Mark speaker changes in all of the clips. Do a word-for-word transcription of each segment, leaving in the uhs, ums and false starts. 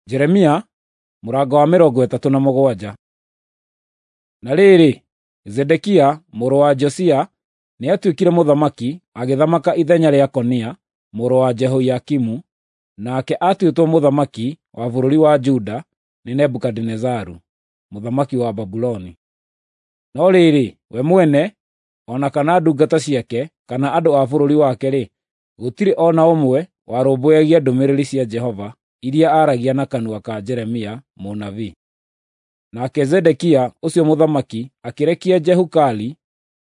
Speaker 1: Jeremia mũrango wa mĩrongo ĩtatũ na mũgwanja. Na rĩrĩ, Zedekia mũrũ wa Josia nĩatuĩkire mũthamaki, agĩthamaka ithenya rĩa Konia mũrũ wa Jehoiakimu, nake aatuĩtwo mũthamaki wa bũrũri wa Juda nĩ Nebukadinezaru, mũthamaki wa Babuloni. No rĩrĩ, we mwene, o na kana ndungata ciake, kana andũ a bũrũri wake-rĩ, gũtirĩ o na ũmwe warũmbũyagia ndũmĩrĩri cia Jehova iria aaragia na kanua ka Jeremia mũnabii. Nake Zedekia ũcio mũthamaki akĩrekia Jehukali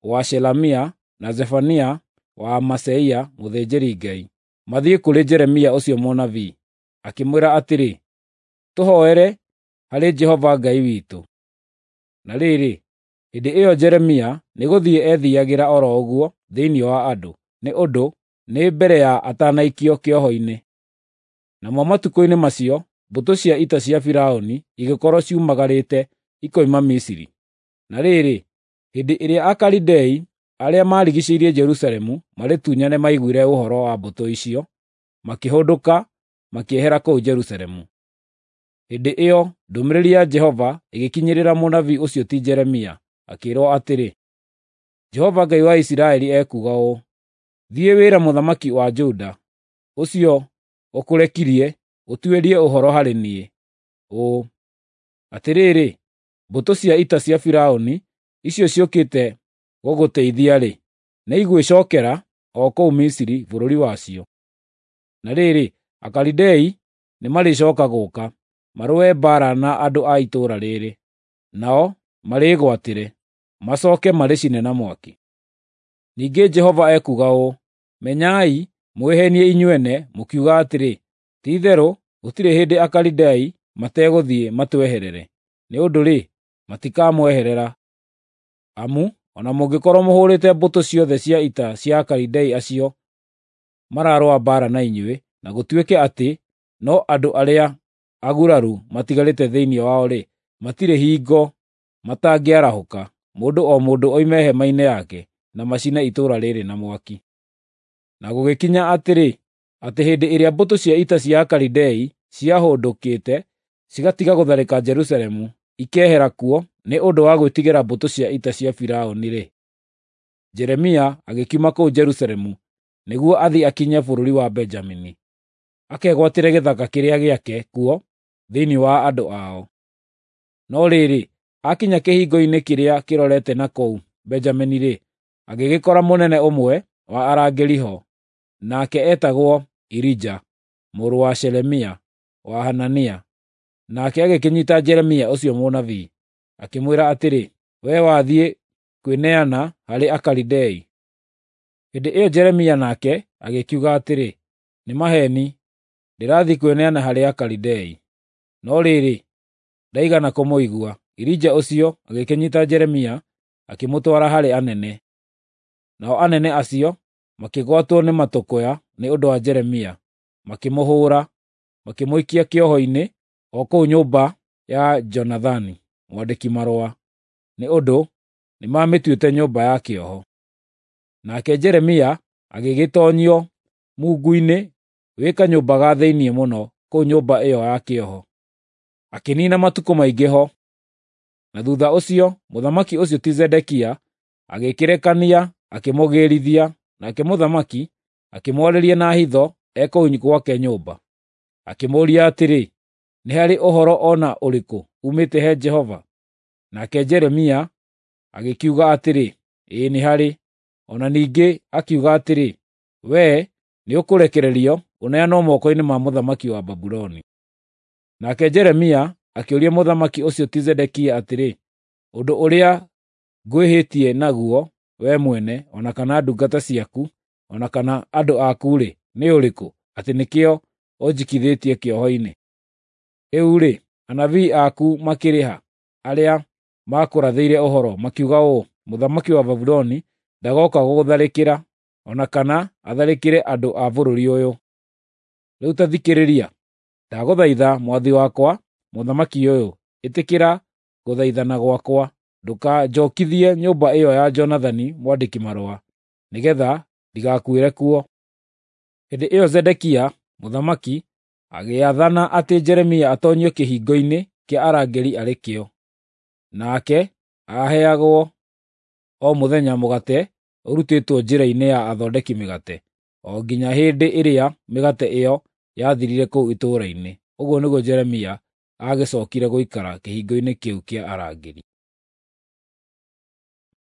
Speaker 1: wa Shelemia na Zefania wa Maaseia mũthĩnjĩri-Ngai mathiĩ kũrĩ Jeremia ũcio mũnabii, akĩmwĩra atĩrĩ, “Tũhooere harĩ Jehova Ngai witũ.” Na rĩrĩ, hĩndĩ ĩyo Jeremia nĩgũthiĩ eethiiagĩra o ro ũguo thĩinĩ wa andũ, nĩ ũndũ nĩ mbere ya atanaikio kĩoho-inĩ. Namo matukũ-inĩ macio mbũtũ cia ita cia Firaũni igĩkorwo ciumagarĩte ikoima Misiri. Na rĩrĩ, hĩndĩ ĩrĩa Akalidei arĩa maarigiicĩirie Jerusalemu marĩtunyane maiguire ũhoro wa mbũtũ icio, makĩhũndũka makĩehera kũu Jerusalemu. Hĩndĩ ĩyo ndũmĩrĩri ya Jehova ĩgĩkinyĩrĩra mũnabii ũcio ti Jeremia, akĩĩrwo atĩrĩ, “Jehova Ngai wa Isiraeli ekuuga ũũ: Thiĩ wĩre mũthamaki wa Juda, ũcio ũkũrekirie ũtuĩrie ũhoro harĩ niĩ, ũũ: Atĩrĩrĩ, mbũtũ cia ita cia Firaũni icio ciũkĩte gũgũteithia-rĩ, nĩigwĩcookera o kũu Misiri bũrũri wacio. Na rĩrĩ, Akalidei nĩmarĩcooka gũũka, marũe mbaara na andũ a itũũra rĩĩrĩ, nao marĩĩgwatĩre, macooke marĩcine na mwaki. Ningĩ Jehova ekuuga ũũ: Menyai mwĩheenie inyuene mũkiuga atĩrĩ, ‘Ti-itherũ gũtirĩ hĩndĩ Akalidei mategũthiĩ matweherere.’ Nĩ ũndũ-rĩ, matikamweherera. Amu o na mũngĩkorwo mũhũũrĩte mbũtũ ciothe cia ita cia Akalidei acio mararũa mbaara na inyuĩ, na gũtuĩke atĩ no andũ arĩa aguraru matigarĩte thĩinĩ wao-rĩ, matirĩ hingo matangĩarahũka, mũndũ o mũndũ oime hema-inĩ yake, na macine itũũra rĩĩrĩ na mwaki.” Na gũgĩkinya atĩrĩ, atĩ hĩndĩ ĩrĩa mbũtũ cia ita cia Akalidei ciahũndũkĩte cigatiga gũtharĩka Jerusalemu, ikehera kuo nĩ ũndũ wa gwĩtigĩra mbũtũ cia ita cia Firaũni-rĩ, Jeremia agĩkiuma kũu Jerusalemu nĩguo athiĩ akinye bũrũri wa Benjamini, akegwatĩre gĩthaka kĩrĩa gĩake kuo thĩinĩ wa andũ ao. No rĩrĩ, aakinya kĩhingo-inĩ kĩrĩa kĩrorete na kũu Benjamini-rĩ, agĩgĩkora mũnene ũmwe wa arangĩri ho, nake eetagwo Irija mũrũ wa Shelemia wa Hanania. Nake agĩkĩnyiita Jeremia ũcio mũnabii, akĩmwĩra atĩrĩ, “Wee wathiĩ kwĩneana harĩ Akalidei!” Hĩndĩ ĩyo Jeremia nake agĩkiuga atĩrĩ, “Nĩ maheeni, ndĩrathiĩ kwĩneana harĩ Akalidei.” No rĩrĩ, ndaigana kũmũigua. Irija ũcio agĩkĩnyiita Jeremia akĩmũtwara harĩ anene. Nao anene acio makĩgwatwo nĩ matũkũya nĩ ũndũ wa Jeremia, makĩmũhũũra, makĩmũikia kĩoho-inĩ o kũu nyũmba ya Jonathani mwandĩki-marũa, nĩ ũndũ nĩmamĩtuĩte nyũmba ya kĩoho. Nake Jeremia agĩgĩtoonyio mungu-inĩ wĩ kanyũmba ga thĩinĩ mũno kũu nyũmba ĩyo ya kĩoho. Akĩniina matukũ maingĩ ho. Na thuutha ũcio mũthamaki ũcio ti Zedekia agĩkĩrekania akĩmũgĩĩrithia, nake mũthamaki akĩmwarĩria na hitho e kũu gwake nyũmba. Akĩmũũria atĩrĩ, “Nĩ harĩ ũhoro o na ũrĩkũ uumĩte he Jehova?” Nake Jeremia agĩkiuga atĩrĩ, “Ĩĩ nĩ harĩ.” O na ningĩ akiuga atĩrĩ, “Wee nĩũkũrekererio ũneanwo moko-inĩ ma mũthamaki wa Babuloni.” Nake Jeremia akĩũria mũthamaki ũcio ti Zedekia atĩrĩ, “Ũndũ ũrĩa ngwĩhĩtie naguo wee mwene, o na kana ndungata ciaku, o na kana andũ aku-rĩ, nĩ ũrĩkũ, atĩ nĩkĩo ũnjikithĩtie kĩoho-inĩ? Rĩu-rĩ, anabii aku makĩrĩ ha, arĩa maakũrathĩire ũhoro, makiuga ũũ, ‘Mũthamaki wa Babuloni ndagooka gũgũtharĩkĩra, o na kana atharĩkĩre andũ a bũrũri ũyũ’? Rĩu ta thikĩrĩria, ndagũthaitha mwathi wakwa, mũthamaki ũyũ, ĩtĩkĩra gũthaithana gwakwa, ndũkanjookithie nyũmba ĩyo ya Jonathani mwandĩki-marũa, nĩgeetha ndigakuĩre kuo.” Hĩndĩ ĩyo Zedekia mũthamaki agĩathana atĩ Jeremia atoonyio kĩhingo-inĩ kĩa arangĩri arĩ kĩo. Nake aaheagwo o mũthenya mũgate ũrutĩtwo njĩra-inĩ ya athondeki mĩgate, o nginya hĩndĩ ĩrĩa mĩgate ĩyo yathirire kũu itũũra-inĩ. Ũguo nĩguo Jeremia aagĩcookire gũikara kĩhingo-inĩ kĩu kĩa arangĩri.